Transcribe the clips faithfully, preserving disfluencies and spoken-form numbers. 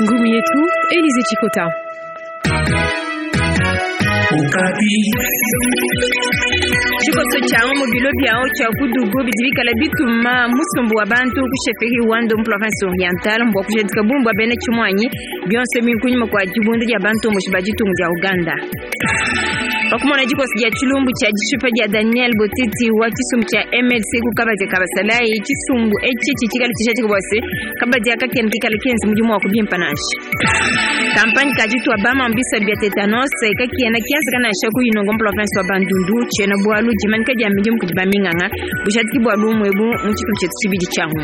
Ngumu yetu Elize Chikota. Tshikoso tshia mu bilo biawo tshia kudugu bidi bikala bituma musumbu wa bantu ku chefferie Wando mu province orientale mbwa kujadika bumbu bena tshimwanyi bionse minkunyuma kwa dibunda dia bantu mu ditunga dia Uganda. Pakumona dikosi dia tshilumbu tshia dishipa dia Daniel Botiti wa tshisumbu tshia M L C ku kabadi kabasalai tshisumbu etshi tshikala tshijadika bwase kabadi akakena kikala kenzi mudimu wa kubimpa nansha. Kampanye kajitu abama mbisa bia tetanos kakiena kianza kana shaku inongo province wa Bandundu tshena bwalu jimanika dia midimu kudi baminganga bujadiki bwalu mwebu mu tshitu tshetu tshibidi tshangu.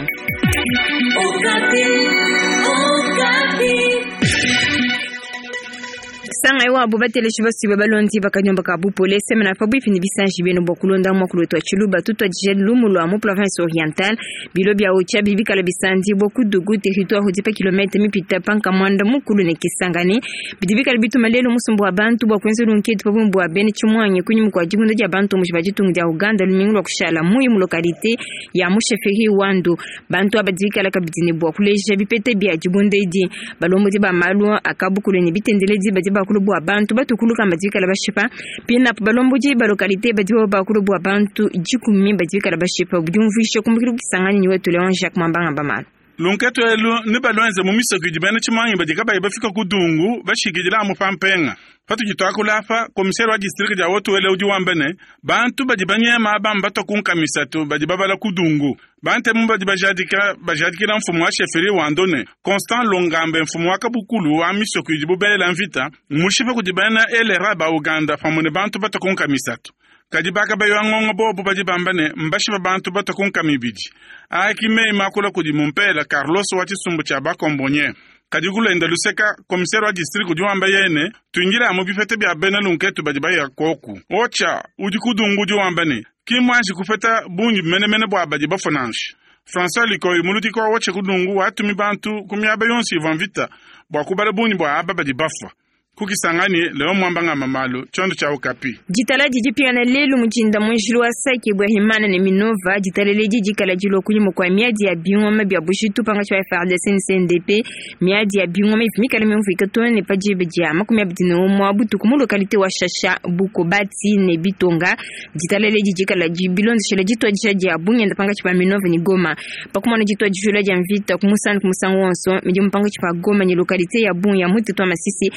Sanga iwa abu bateleshi basibe balondi bakanyomba ka bupole semena fa bwifini bisanji beno bokulonda mwakulo twa chiluba tutwa jelu mulwa mu province orientale bilo bya ocha bibikala bisandi bokudugu territoire hodipa kilomètre mipita panka mwanda mukulu ne Kisangani bidibikala bituma lelo musumbu wa bantu bwa kwenza lunketu pabumbu wa bene chimwanye kunyumu kwa jibunda dia bantu mu jitungu dia Uganda lumingu lwa kushala muyi mu localité ya mu chefferie Wando bantu abadibikala kabidini bwa kuleja bipete bya jibunda idi balombo ba malu akabukulu ne bitendeledi badi bakulu bwa bantu batukuluka badikala bashipa pina balomboji ba localité badi bakulu bwa bantu jikumi badikala bashipa budumvisha kumbukira Kisangani ni wetu Leon Jacques Mambanga bamala lunketu elu ni balwenze mu misoko idi bena tshimanyi badi kabayi bafika kudungu bashikidila mu pampenga patujitwakula apa komisere wa district dia wotuwele udi wambene bantu badi banyema abamba batokunkamisatu badi babala kudungu bantemu badi bajadika bajadikila mfumu wa chefferie Wandone Constant Longambe mfumu wa kabukulu wa misoko idi bubela mvita mushipe kudi bena elera ba Uganda pamwe ne bantu batokunkamisatu kadi baka bayo ngongo bobo badi bambane mbashipa bantu batokunkamibidi aki mei makula kudi mumpela Carlos wa tshisumbu tshia bakombonye kadi kulenda luseka komisere wa district udi wamba yene tuingira mu bipete bya bena lunketu badi baya koku ocha udi kudungu udi wamba ne kimwanji kupeta bungi menemene bwa badi bafonanshi François Likoyi muludiko wa wache kudungu watumi bantu kumyaba yonsi ivwa mvita bwa kubala bungi bwa aba badi bafwa kukisangani leo mwambanga mamalu chondo cha Okapi jitala jijipigana lelu mujinda munjili wa Sake bwa Himana ne Minova jitalele jijikala jilo kunyuma kwa miadi ya bingoma bya bushitu panga cha F R D C N C N D P miadi ya bingoma ifimikala mimvika tone pajibe dia makumi abidi ne umwe butuku mu localité wa Shasha Bukobati ne Bitonga jitalele jijikala jibilondeshela jitwa jisha bunyenda panga cha Minova ni Goma pakumana jitwa jishula ja mvita kumusana kumusango wonso miji mpanga cha Goma ni localité ya Bunya mutu Masisi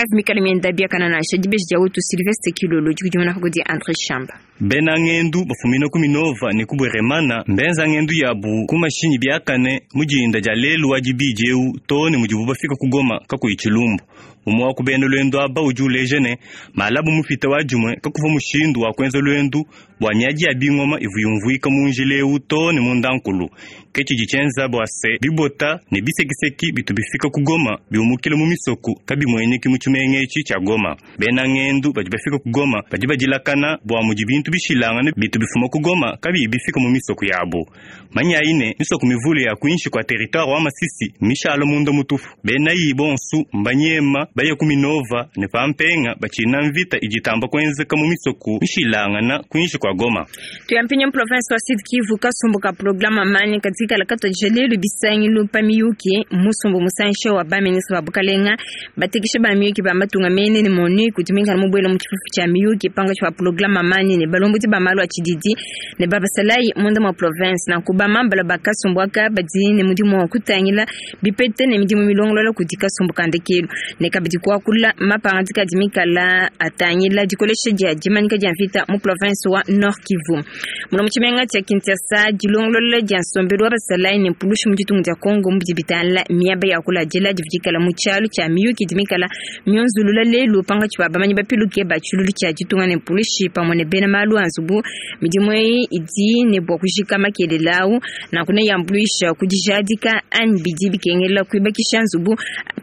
mikala mienda bia kana na shajibeshi ja wetu Sylvestre Kilolo jikujumana kugodi Andre Shamba bena ngendu bafumina ku Minova ne kubweremana mbenza ngendu yabu ku mashinyi byakane mujinda ja lelu wa jibijeu tone mujibu bafika kugoma kakuyi tshilumbu umwe wa kubena lwendo aba udi ulejene malabu mufita wa jumwe kakuva mushindu wa kwenza lwendu bwa miaji ya bingoma ivuyumvuika munjileu tone mundankulu ketshi jitshenza bwa se bibota ne bisekiseki bitu bifika kugoma biumukile mu misoku kabimwenyeki mu tshimengetshi tshia Goma bena ngendu badi bafika kugoma badi badilakana bwa mudi bintu bishilangane bitu bifuma kugoma kabi bifika mu misoku yabo manyaine misoku mivule ya kuinshi kwa territoire wa Masisi mishalo munda mutufu bena yi bonsu mbanyema baye ku Minova ne pampenga bachina mvita ijitamba kwenzeka mu misoku mishilangana kuinshi kwa Goma tuyampinya province wa Sud Kivu kasumbuka programa mani katika lakato jelelu bisangilu pamiyuki musumbu musanshe wa ba ministre wa Bukalenga batekisha ba miyuki ba matunga mene ne moni kutumika mu bwelo mu chifufu cha miyuki panga cha programa mani ne balombo ba malu achididi ne baba salai munda mu province na kuba mambala bakasumbwaka badi ne mudimu wa kutangila bipete ne midimu milongolola kudika sumbuka ndekelu ne kabidi kwakula mapangatika dimikala atangila dikolesha dia dimanika dia mvita mu province wa Nord Kivu muno mu tshimenga tshia Kinshasa dilongolola dia nsombelu wa basalai ne mpulushi mu ditunga dia Congo mu bidibitala miaba ya kula dila dividikala mu tshialu tshia miyuki dimikala mionzulula lelu panga tshia bamanyi bapiluke ba tshilulu tshia ditunga ne mpulushi pamwe ne bena malu anzubu midimu eyi idi ne bua kujika makelelawu na kuna yambuluisha kudijadika anyi bidi bikengela kuibakisha nzubu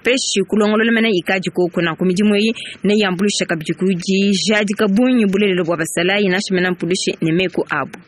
peshi kulongolola mena ikaji koko na kumidimu eyi ne yambuluisha kabidi kudijadika bunyi bulelelo bua basalayi nashimena mpulushi ne meku abu.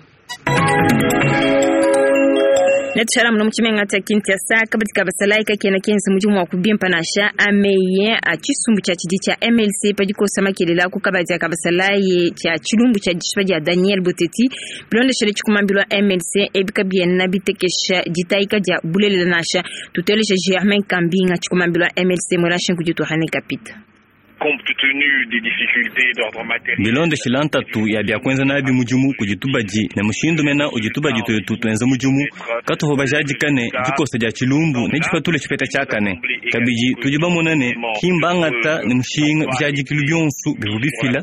Netushala muno mutshimenga tshia Kinshasa kabadi ka basalayi kakena kenza mudimu wa kubimpa nansha ameye a tshisumbu tshia tshidi tshia M L C padikosa makelela ku kabadi ka basalayi tshia tshilumbu tshia dishipa dia Daniel Boteti bilondeshele tshikumambilwa M L C ebika biena bitekesha ditaika dia bulelela nansha tutelesha Germain Kambinga tshikumambilwa M L C mwelashe nkuditu hane kapita. Compte tenu des difficultés d'ordre matériel. Bilonde shilantatu ya bya kwenza nabi mudimu kujitubaji ne mushindu mena ujitubaji twetu twenza mudimu katuho bajadikane dikosa dia tshilumbu ne dipatule tshipeta tshiakane kabidi tudi bamonane kimbangata ne mushinga bijadikilu bionso bivu bifila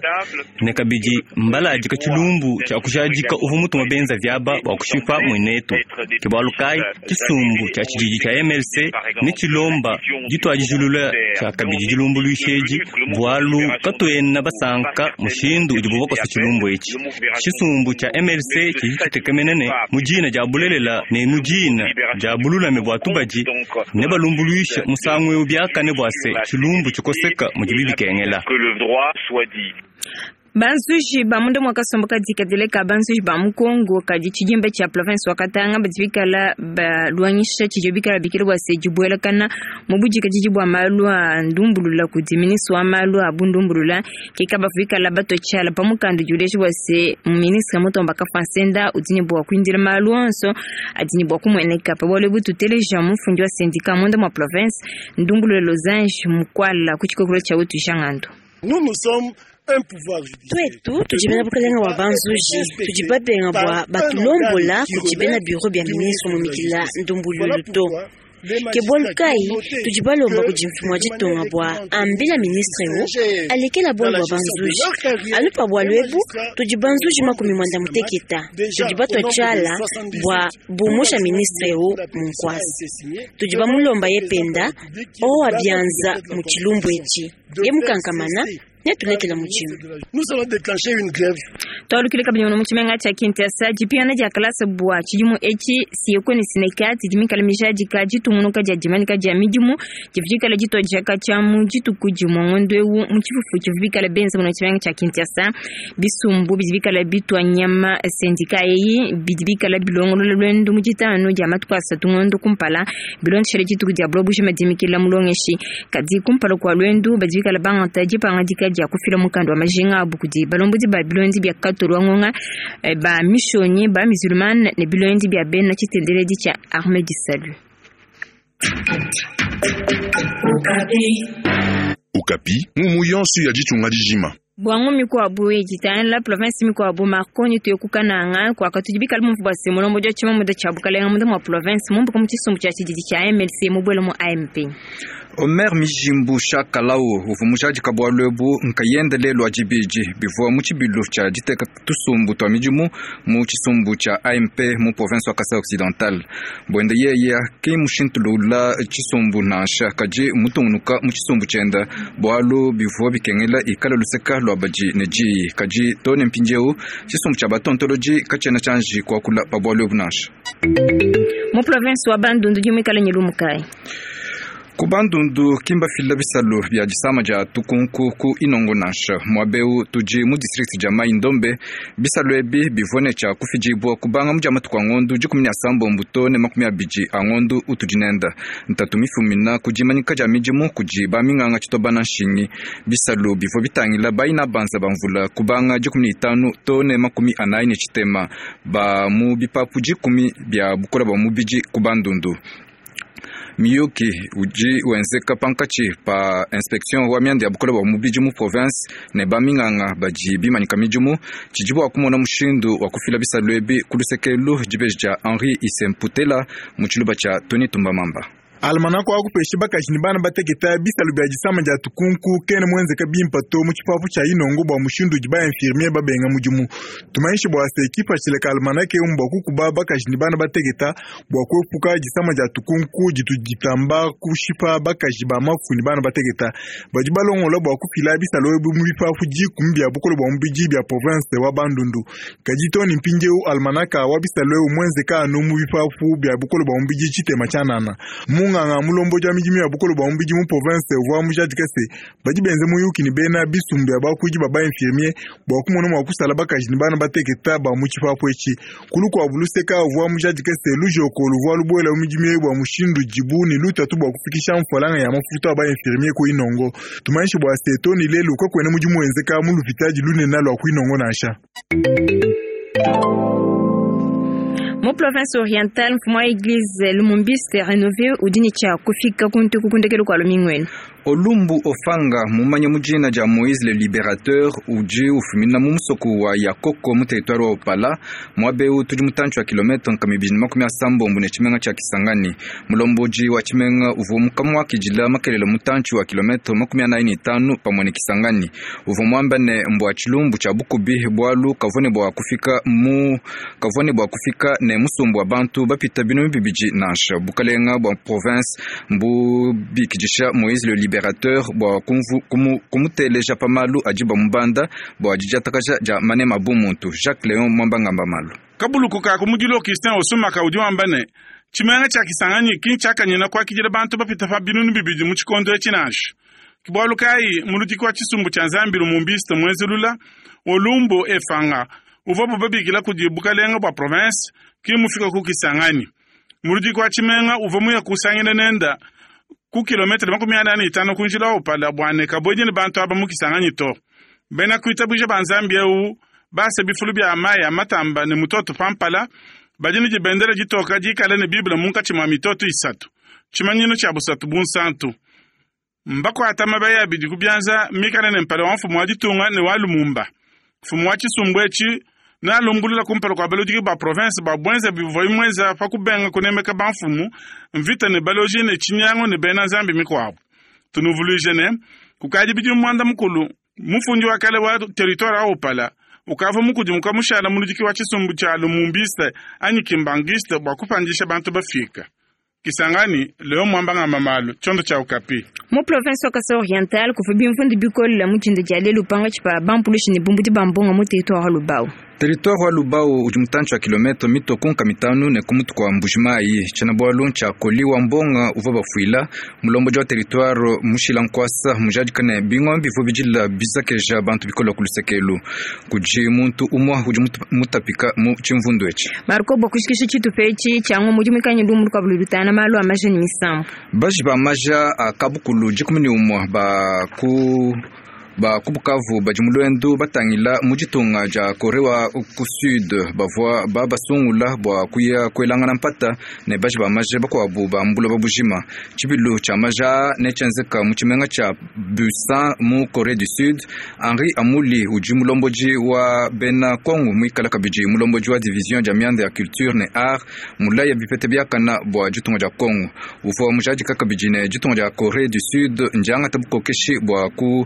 ne kabidi mbaladika tshilumbu tshia kujadika uvu mutuma benza vyaba bua kushipa mwenetu ke bualu kai tshisumbu tshia tshididi tshia M L C ne tshilomba dituadijulula tshia kabidi dilumbuluisheji bualu katuena basanka mushindu udibu bakosa tshilumbu etshi tshisumbu tshia M L C tshidi tshitekemenene mu dina dia bulelela ne mu dina dia bululame bua tubadi ne balumbuluisha musangu eu biakane bua se tshilumbu tshikoseka mudibi bikengela. Banzuji ba munda mwakasomboka dikadeleka banzuji ba mukongo kadi tshidimba tshia province wa Katanga badibikala balwanyisha tshidio bikala bikile bua se dibuelakana mu budikadidi bua malu a ndumbulula kudi ministre wa malu a bundumbulula keka bafikala batochala pa mukanda diuleji bua se ministre Mutomba Kafansenda udi ne bua kuindila malu onso adi ne bua kumueneka pa bualu bututeleja mufundi wa syndicat munda mwa province ndumbulula Losange Mukwala ku tshikokolo tshia wetu Jangandu. Nous nous sommes un pouvoir judiciaire. Twetu tudibena bukalenga wa banzuji tudibabenga bua batulombola kudibena bureau bya ministre mumikila ndumbululu to. Ke bualu kai tudibalomba kudi mfumu wa ditunga bua ambila ministre eu alekela bualu bua banzuji anu pa bualu ebu tudi banzuji makumi mwanda muteketa tudi batwa tshiala bua bumusha ministre eu mu nkwasi tudi bamulomba ye penda owa bianza mu tshilumbu etshi ye mukankamana. Nous allons déclencher une grève. Twalukile kabidi mu tshimenga tshia Kinshasa dipiana dia kalasa bua tshidimu etshi siyeko ne sinekati dimikala mijadika ditumunuka dia dimanika dia midimu dividikala ditodjaka tshia mu dituku dimue ngondo eu mu tshifufu tshivubikala benza mu tshimenga tshia Kinshasa bisumbu bidibikala bitwa nyama sendika eyi bidibikala bilongolola lwendo mu ditanu dia matuku asatu ngondo kumpala bilondeshele dituku dia buloba bujima dimikila mulongeshi kadi kumpala kua lwendo badibikala bangata dipangadika dia kufila mukanda wa majinga abu kudi balombodi ba bilondi bia katolwa ngonga ba mishonyi ba musulman ne bilondi bia bena tshitendeledi tshia armée du salut. Okapi mumu yonso ya ditunga dijima. Bwangu mikwabu ejitana la province mikwabu Marconi tuyokukananga kwa katujibikala mumvu bwa simulombo dia tshima muda tshia bukalenga muda mwa province mumbuka mu tshisumbu tshia tshididi tshia M L C mubwela mu A M P. Omer Mijimbu Shakalao uvu mujadika bualu ebu nkayende lelo adibidi bivua mu tshibilu tshia diteka tusumbu twa midimu mu tshisumbu tshia A M P mu province wa Kasai Occidental. Bwende yeye ki mushintulula tshisumbu nansha kadi mutungunuka mu tshisumbu tshienda bualu bivua bikengela ikala luseka lwa badi ne diyi kadi too ne mpindieu tshisumbu tshia batontoloji katshiena tshianji kuakula pa bualu ebu nansha. Mu province wa Bandundu dimuikala ne lumu kayi. Ku Bandundu kimba fila bisalu bia disama dia tukunku ku inongo nansha mwabeu tudi mu district dia Mai Ndombe bisalu ebi bivone tshia kufidibua kubanga mu dia matuku a ngondu dikumi ne asambombo to ne makumi abidi a ngondu utudi nenda ntatu mifumina ku dimanyika dia midimu kudi baminganga tshitobana nshingi bisalu bivua bitangila baina banza bamvula kubanga dikumi ne itanu to ne makumi anayi ne tshitema ba mu bipapu dikumi bia bukola bua mubidi ku Bandundu. Miyuki uji wenzeka pankatshi pa inspection wa mianda ya bukola bua mubidi mu province ne baminganga badi bimanyika midimu tshidi bua kumona mushindu wa kufila bisalu ebi ku lusekelu dibeji dia Henri Isemputela mu tshiluba tshia Tony Tumbamamba. Almanako akupesha bakaji ne bana bateketa bisalu bia disama dia tukunku kene mwenzeka bimpa to mu tshipapu tshia inongo bua mushindu udi ba infirmier babenga mudimu tumanyishe bua se ekipa tshileka almanake eu bua kukuba bakaji ne bana bateketa bua kuepuka disama dia tukunku ditu ditamba kushipa bakaji ba mafu ne bana bateketa badi balongola bua kufila bisalu ebi mu bipapu dikumi bia bukole bua mubidi bia province wa Bandundu kadi to ne mpindieu almanaka wa bisalu eu mwenzeka anu mu bipapu bia bukole bua mubidi tshitema tshianana. Munganga mulomboji wa midimu ya bukole bwa mubidi mu province uvua mujadike se badi benze muyuki ne bena bisumbu bia bakuidi ba ba-infirmier bua kumona mua kusala bakaji ne bana bateketa ba mu tshipapu etshi. Kulu kua buluseka uvua mujadike se lujoko luvua lubuela mu midimu eyi bua mushindu dibu ne lutatu bua kufikisha mfualanga ya mafuta a ba-infirmier ku Inongo. Tumanyishe bua se to ne lelu kakuena mudimu wenzeka mu lupitadi lunene lua ku Inongo nansha. Mu province orientale mfumu wa église lumumbiste rénové udi ne tshia kufika kuntu kukundekelu kua lumingwenu. Olumbu Ofanga mumanya mujina ja Moïse le Libérateur uji ufumina mu musoko wa Yakoko mu territoire wa Opala mwabeu tudi mutantshi wa kilometre nkama ibidi na makumi asambombo ne tshimenga tshia Kisangani. Mulomboji wa tshimenga uvua mukamwa kijila makelele mutantshi wa kilometre makumi anayi ne tanu pamwe ne Kisangani. Uvua muamba ne mbwa tshilumbu tshia bukubi bwalu kavua ne bua kufika mu kavua ne bua kufika ne musumbu wa bantu bapita binunu bibidi nansha. Bukalenga bua province mbubikidisha Moïse le Libérateur bua kumuteleja pamalu adi bamubanda bua didiatakaja dia manema bumuntu. Jacques Léon Mwambangamba malu kabuluku ka kumudilo Christian Osumaka udi wamba ne tshimenga tshia Kisangani ki tshiakanyina kuakidila bantu bapita pa binunu bibidi mu tshikondo etshi nansha. Kibualu kayi muludiki wa tshisumbu tshia Nzambi lumumbiste mwenzulula Olumbu Efanga uvua bubabikila kudi bukalenga bua province ki mufika ku Kisangani. Muludiki wa tshimenga uvua muya kusangina nenda ku kilometre makumi anayi ne itanu ku njila wa Opala bua ne kabuedi ne bantu aba mu Kisangani to. Bena kuitabuja ba Nzambi eu basa bifulu bia mayi a matamba ne mutoto pampala badi ne dibendela ditoka dikale ne Bible munkatshi mua mitoto isatu tshimanyinu tshia busatu bunsantu. Mbakuata mabaya abidi ku bianza mikale ne mpala wa mfumu wa ditunga ne wa Lumumba. Mfumu wa tshisumbu etshi nalumbulula kumpala kua baludiki ba province ba bwenza bivua bimwenza pa kubenga kunemeka bamfumu mvita ne baloji ne tshinyango ne bena Nzambi mikuabu. Tunuvuluije ne kukadi bidimu muanda mukulu mufundi wa kale wa territoire wa Opala ukavua mukudimuka mushala muludiki wa tshisumbu tshia lumumbiste anyi kimbangiste bua kupandisha bantu bafika. Kisangani leo Mwambangamba malu tshiondo tshia Okapi. Mu province wa Kasai Oriental kuvua bimvundu bikole mu tshindu dia lelu pangatshi pa bampulushi ne bumbudi ba mbongo mu territoire wa Lubao. Territoire wa Lubao udi mutantshi wa kilometre mitoko nkama mitanu ne kumutu kua Mbujimayi. Tshiena-bualu ntshia koli wa mbonga uvua bafuila mulombodi wa territoire mushila nkuasa mujadika ne bingoma bivua bidila bizakeja bantu bikole ku lusekelu. Kudi muntu umua udi mutapika mu tshimvundu etshi. Marco bokushikisha tshitupa etshi tshiangu mudi muikanye lumu lukuabu lutana malu a maja ne misambu. Baji ba maja a kabukulu dikumi ne umua ba ku ba ku Bukavu badi mu lwendu batangila mu ditunga dia Corée wa ku Sud bavua babasungula bua kuya kuelangana mpata ne baji ba maja bakuabu ba mbuloba bujima. Tshibilu tshia maja ne tshienzeka mu tshimenga tshia Busan mu Corée du Sud. Henri Amuli udi mulombodi wa bena Kongo muikala kabidi mulombodi wa division dia mianda ya culture ne art mulaya bipete biakana bua ditunga dia Kongo. Uvua mujadika kabidi ne ditunga dia Corée du Sud ndiangata bukokeshi bua ku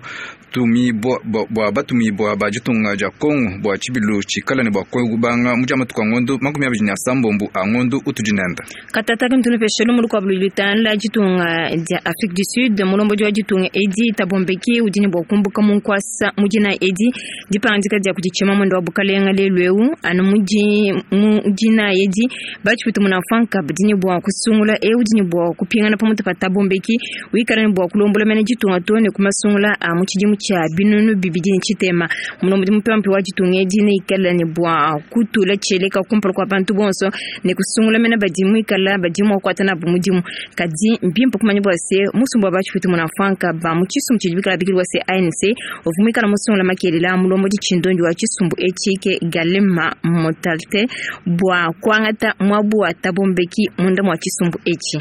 tumibwa bua batumibwa ba ditunga dia Kongo bua tshibilu tshikala ne bua kubanga mu diamatuku a ngondo makumi abidi ne asambombo a ngondo utudi nenda. Katataka ntunupeshe lumu lukuabu lutana ditunga dia Afrique du Sud mulombodi wa ditunga Edi Thabo Mbeki udi ne bua kumbuka mu nkuasa mudina Edi dipangadika dia kuditshima mwendo wa bukalenga lelu eu anu mudi mudina Edi batshipita munafanka badi ne bua kusungula eu udi ne bua kupingana pamutu pa Thabo Mbeki wikala ne bua kulombola mene ditunga to ne kumasungula a mu tshidimu tshia binunu bibidi ne tshitema. Mulombodi mupempe wa ditunga edi ne ikala ne bua kutula tshieleka kumpala kua bantu bonso ne kusungula mene badi muikala badi mua kukuata nabu mudimu. Kadi mbimpe kumanya bua se musumbu wa batshipita munafanka ba mu tshisumbu tshidi bikala bikilwa se A N C uvua muikala musungula makelela mulombodi tshindondi wa tshisumbu etshi ke Galema Motalte bua kuangata muabu wa Thabo Mbeki munda mua tshisumbu etshi.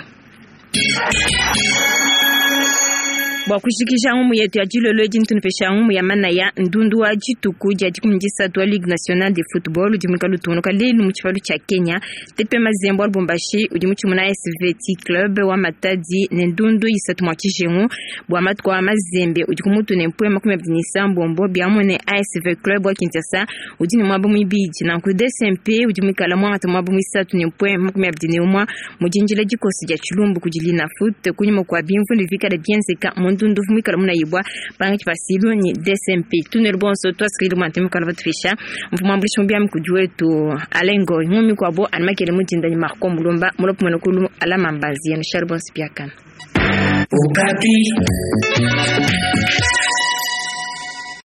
Bua kushikisha ngumu yetu ya dilolo edi ntunupesha ngumu ya manaya ndundu wa dituku dia dikumi disatu wa Ligue Nationale de Football udi muikale utungunuka lelu mu tshipalu tshia Kenya. T P Mazembe wa Lubumbashi udi mutshimuna S V T Club wa Matadi ne ndundu isatu mua tshijengu bua matuku a Mazembe udi ku mutu ne mpuya makumi abidi ne isambombo biamue ne A S V Club wa Kinshasa udi ne muaba muibidi. Nanku D S M P udi muikale muangata muaba muisatu ne mpuya makumi abidi ne umua mu dinjila dikosi dia tshilumbu kudi Linafoot kunyima kua bimvundu bikale bienzeka mu ndundu mwikala munayibwa pangi chipasilu ni D S M P tunel bonso twasikili mwantemi kala batufisha mfumo ambulisha mbyami kujuwetu alengo ngumi kwabo animakele mujinda ni Marco Mulumba mulopo mwenekulu alama mbazi ya nushari bonso piakana. Okapi.